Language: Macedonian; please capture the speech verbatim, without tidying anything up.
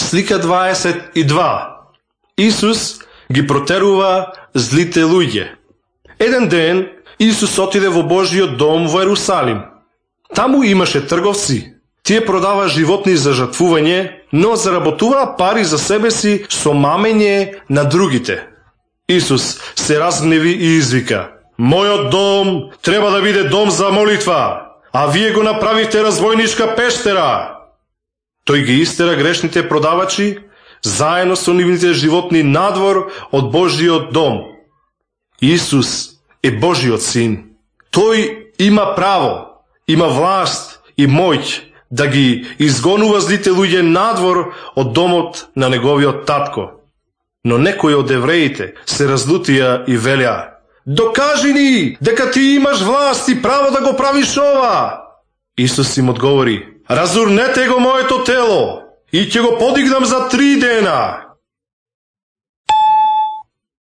Слика дваесет и два. Исус ги протерува злите луѓе. Еден ден Исус отиде во Божиот дом во Ерусалим. Таму имаше трговци. Тие продава животни за жртвување, но заработуваа пари за себе си со мамење на другите. Исус се разгневи и извика: "Мојот дом треба да биде дом за молитва, а вие го направивте разбойничка пештера." Тој ги истера грешните продавачи заедно со нивните животни надвор од Божиот дом. Исус е Божиот син. Тој има право, има власт и моќ да ги изгонува злите луѓе надвор од домот на неговиот татко. Но некои од евреите се разлутија и велеа: "Докажи ни дека ти имаш власт и право да го правиш ова." Исус им одговори: "Разурнете го моето тело и ќе го подигнам за три дена."